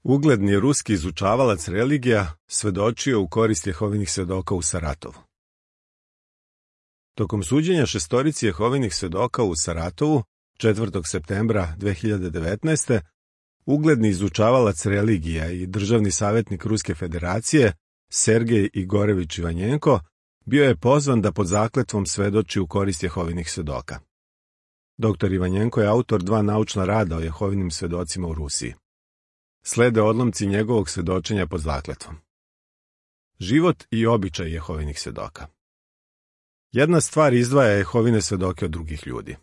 Ugledni ruski izučavalac religija svedočio u korist Jehovinih svedoka u Saratovu. Tokom suđenja šestorici Jehovinih svedoka u Saratovu, 4. septembra 2019. ugledni izučavalac religija i državni savjetnik Ruske federacije, Sergej Igorević Ivanjenko, bio je pozvan da pod zakletvom svedoči u korist Jehovinih svedoka. Dr. Ivanjenko je autor 2 naučna rada o Jehovinim svedocima u Rusiji. Slede odlomci njegovog svedočenja pod zakletvom. Život i običaj Jehovinih svedoka. Jedna stvar izdvaja Jehovine svedoke od drugih ljudi.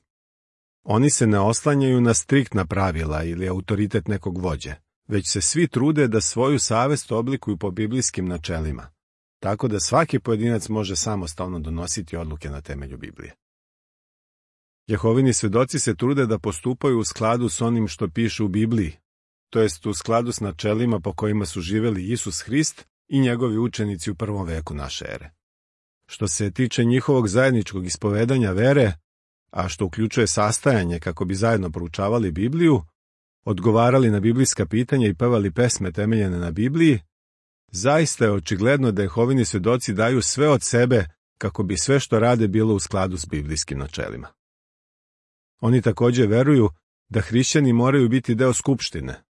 Oni se ne oslanjaju na striktna pravila ili autoritet nekog vođe, već se svi trude da svoju savest oblikuju po biblijskim načelima, tako da svaki pojedinac može samostalno donositi odluke na temelju Biblije. Jehovini svedoci se trude da postupaju u skladu s onim što piše u Bibliji, to jest u skladu s načelima po kojima su živjeli Isus Hrist i njegovi učenici u 1. veku naše ere. Što se tiče njihovog zajedničkog ispovedanja vere, a što uključuje sastajanje kako bi zajedno proučavali Bibliju, odgovarali na biblijska pitanja i pevali pesme temeljene na Bibliji, zaista je očigledno da Jehovini svedoci daju sve od sebe kako bi sve što rade bilo u skladu s biblijskim načelima. Oni također veruju da hrišćani moraju biti deo skupštine.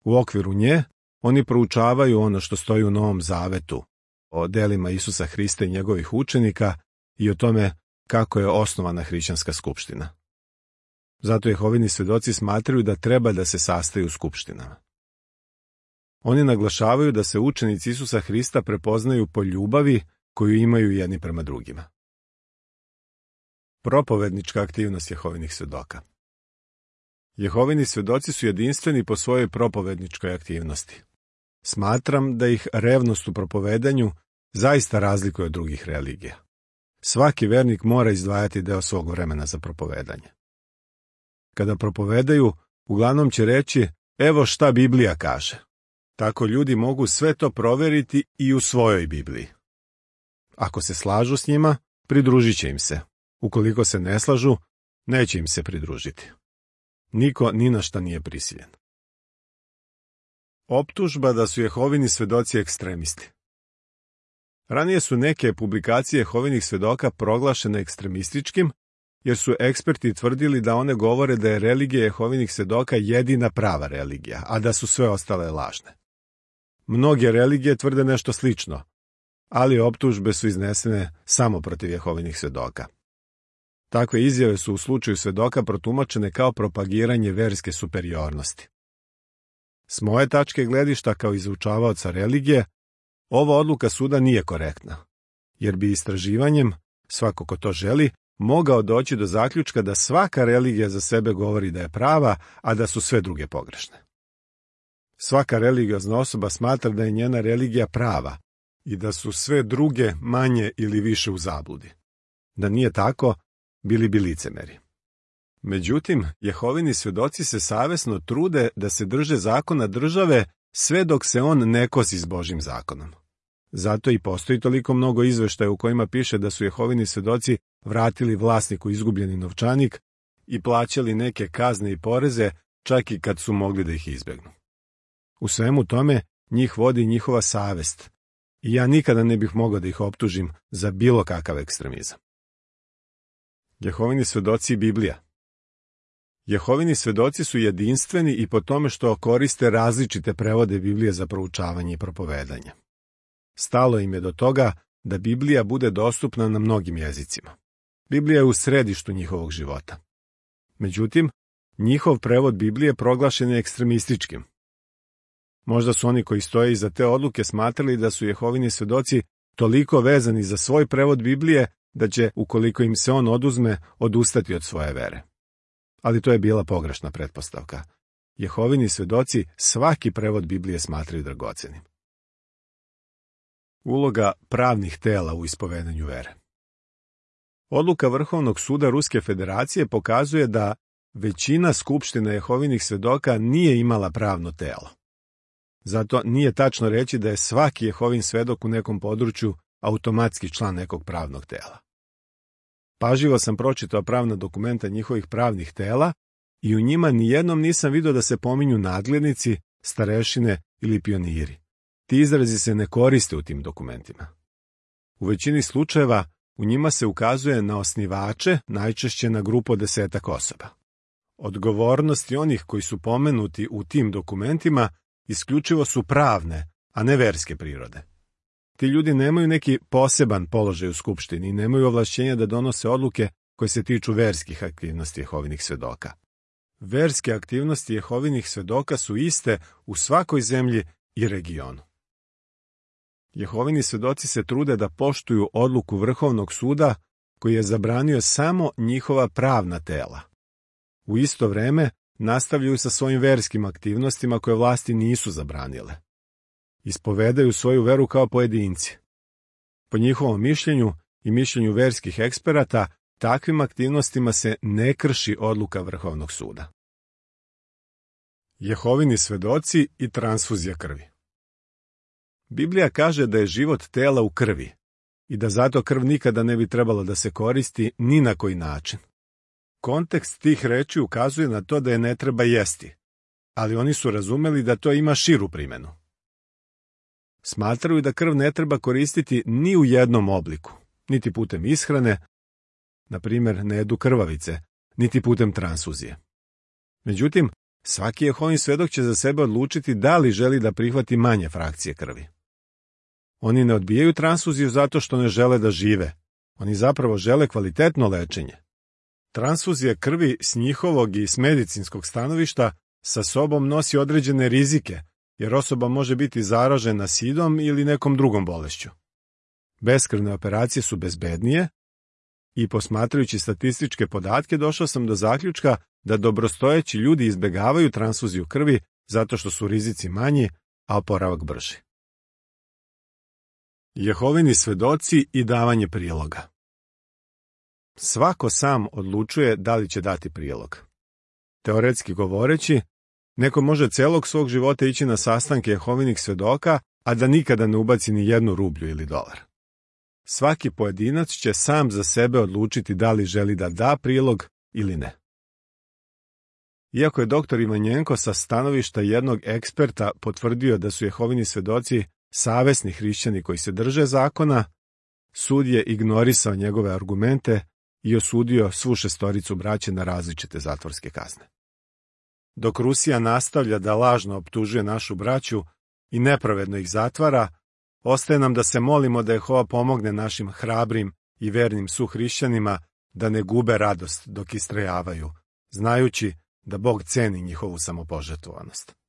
U okviru nje oni proučavaju ono što stoji u Novom Zavetu, o delima Isusa Hrista i njegovih učenika i o tome kako je osnovana hrišćanska skupština. Zato Jehovini svedoci smatraju da treba da se sastaju u skupštinama. Oni naglašavaju da se učenici Isusa Hrista prepoznaju po ljubavi koju imaju jedni prema drugima. Propovednička aktivnost Jehovinih svedoka. Jehovini svedoci su jedinstveni po svojoj propovedničkoj aktivnosti. Smatram da ih revnost u propovedanju zaista razlikuje od drugih religija. Svaki vernik mora izdvajati deo svog vremena za propovedanje. Kada propovedaju, uglavnom će reći, evo šta Biblija kaže. Tako ljudi mogu sve to provjeriti i u svojoj Bibliji. Ako se slažu s njima, pridružit će im se. Ukoliko se ne slažu, neće im se pridružiti. Niko ni na šta nije prisiljen. Optužba da su Jehovini svedoci ekstremisti. Ranije su neke publikacije Jehovinih svedoka proglašene ekstremističkim, jer su eksperti tvrdili da one govore da je religija Jehovinih svedoka jedina prava religija, a da su sve ostale lažne. Mnoge religije tvrde nešto slično, ali optužbe su iznesene samo protiv Jehovinih svedoka. Takve izjave su u slučaju svedoka protumačene kao propagiranje verske superiornosti. S moje tačke gledišta kao izučavaoca religije, ova odluka suda nije korektna, jer bi istraživanjem, svako ko to želi, mogao doći do zaključka da svaka religija za sebe govori da je prava, a da su sve druge pogrešne. Svaka religiozna osoba smatra da je njena religija prava i da su sve druge manje ili više u zabludi. Da nije tako, bili bi licemeri. Međutim, Jehovini svedoci se savjesno trude da se drže zakona države sve dok se on ne kosi s Božjim zakonom. Zato i postoji toliko mnogo izveštaja u kojima piše da su Jehovini svedoci vratili vlasniku izgubljeni novčanik i plaćali neke kazne i poreze čak i kad su mogli da ih izbjegnu. U svemu tome njih vodi njihova savest i ja nikada ne bih mogao da ih optužim za bilo kakav ekstremizam. Jehovini svedoci i Biblija. Jehovini svedoci su jedinstveni i po tome što koriste različite prevode Biblije za proučavanje i propovedanje. Stalo im je do toga da Biblija bude dostupna na mnogim jezicima. Biblija je u središtu njihovog života. Međutim, njihov prevod Biblije proglašen je ekstremističkim. Možda su oni koji stoje iza te odluke smatrali da su Jehovini svedoci toliko vezani za svoj prevod Biblije da će, ukoliko im se on oduzme, odustati od svoje vere. Ali to je bila pogrešna pretpostavka. Jehovini svedoci svaki prevod Biblije smatraju dragocenim. Uloga pravnih tela u ispovedanju vere. Odluka Vrhovnog suda Ruske federacije pokazuje da većina skupština Jehovinih svedoka nije imala pravno telo. Zato nije tačno reći da je svaki Jehovin svedok u nekom području automatski član nekog pravnog tela. Pažljivo sam pročitao pravna dokumenta njihovih pravnih tela i u njima nijednom nisam vidio da se pominju nadglednici, starešine ili pioniri. Ti izrazi se ne koriste u tim dokumentima. U većini slučajeva u njima se ukazuje na osnivače, najčešće na grupu od 10 osoba. Odgovornosti onih koji su pomenuti u tim dokumentima isključivo su pravne, a ne verske prirode. Ti ljudi nemaju neki poseban položaj u skupštini i nemaju ovlašćenja da donose odluke koje se tiču verskih aktivnosti Jehovinih svedoka. Verske aktivnosti Jehovinih svedoka su iste u svakoj zemlji i regionu. Jehovini svedoci se trude da poštuju odluku Vrhovnog suda koji je zabranio samo njihova pravna tela. U isto vreme nastavljaju sa svojim verskim aktivnostima koje vlasti nisu zabranile. Ispovedaju svoju veru kao pojedinci. Po njihovom mišljenju i mišljenju verskih eksperata, takvim aktivnostima se ne krši odluka Vrhovnog suda. Jehovini svedoci i transfuzija krvi. Biblija kaže da je život tela u krvi i da zato krv nikada ne bi trebalo da se koristi ni na koji način. Kontekst tih reči ukazuje na to da je ne treba jesti, ali oni su razumeli da to ima širu primenu. Smatraju da krv ne treba koristiti ni u jednom obliku, niti putem ishrane, na primjer ne jedu krvavice, niti putem transfuzije. Međutim, svaki Jehovin svedok će za sebe odlučiti da li želi da prihvati manje frakcije krvi. Oni ne odbijaju transfuziju zato što ne žele da žive, oni zapravo žele kvalitetno lečenje. Transfuzija krvi s njihovog i s medicinskog stanovišta sa sobom nosi određene rizike, jer osoba može biti zaražena sidom ili nekom drugom bolešću. Beskrvne operacije su bezbednije i posmatrajući statističke podatke došao sam do zaključka da dobrostojeći ljudi izbegavaju transfuziju krvi zato što su rizici manji, a oporavak brži. Jehovini svedoci i davanje priloga. Svako sam odlučuje da li će dati prilog. Teoretski govoreći, neko može celog svog života ići na sastanke Jehovinih svedoka, a da nikada ne ubaci ni jednu rublju ili dolar. Svaki pojedinac će sam za sebe odlučiti da li želi da da prilog ili ne. Iako je dr. Ivanjenko sa stanovišta jednog eksperta potvrdio da su Jehovini svedoci savesni hrišćani koji se drže zakona, sud je ignorisao njegove argumente i osudio svu šestoricu braće na različite zatvorske kazne. Dok Rusija nastavlja da lažno optužuje našu braću i nepravedno ih zatvara, ostaje nam da se molimo da Jehova pomogne našim hrabrim i vernim suhrišćanima da ne gube radost dok istrajavaju, znajući da Bog ceni njihovu samopožrtvovanost.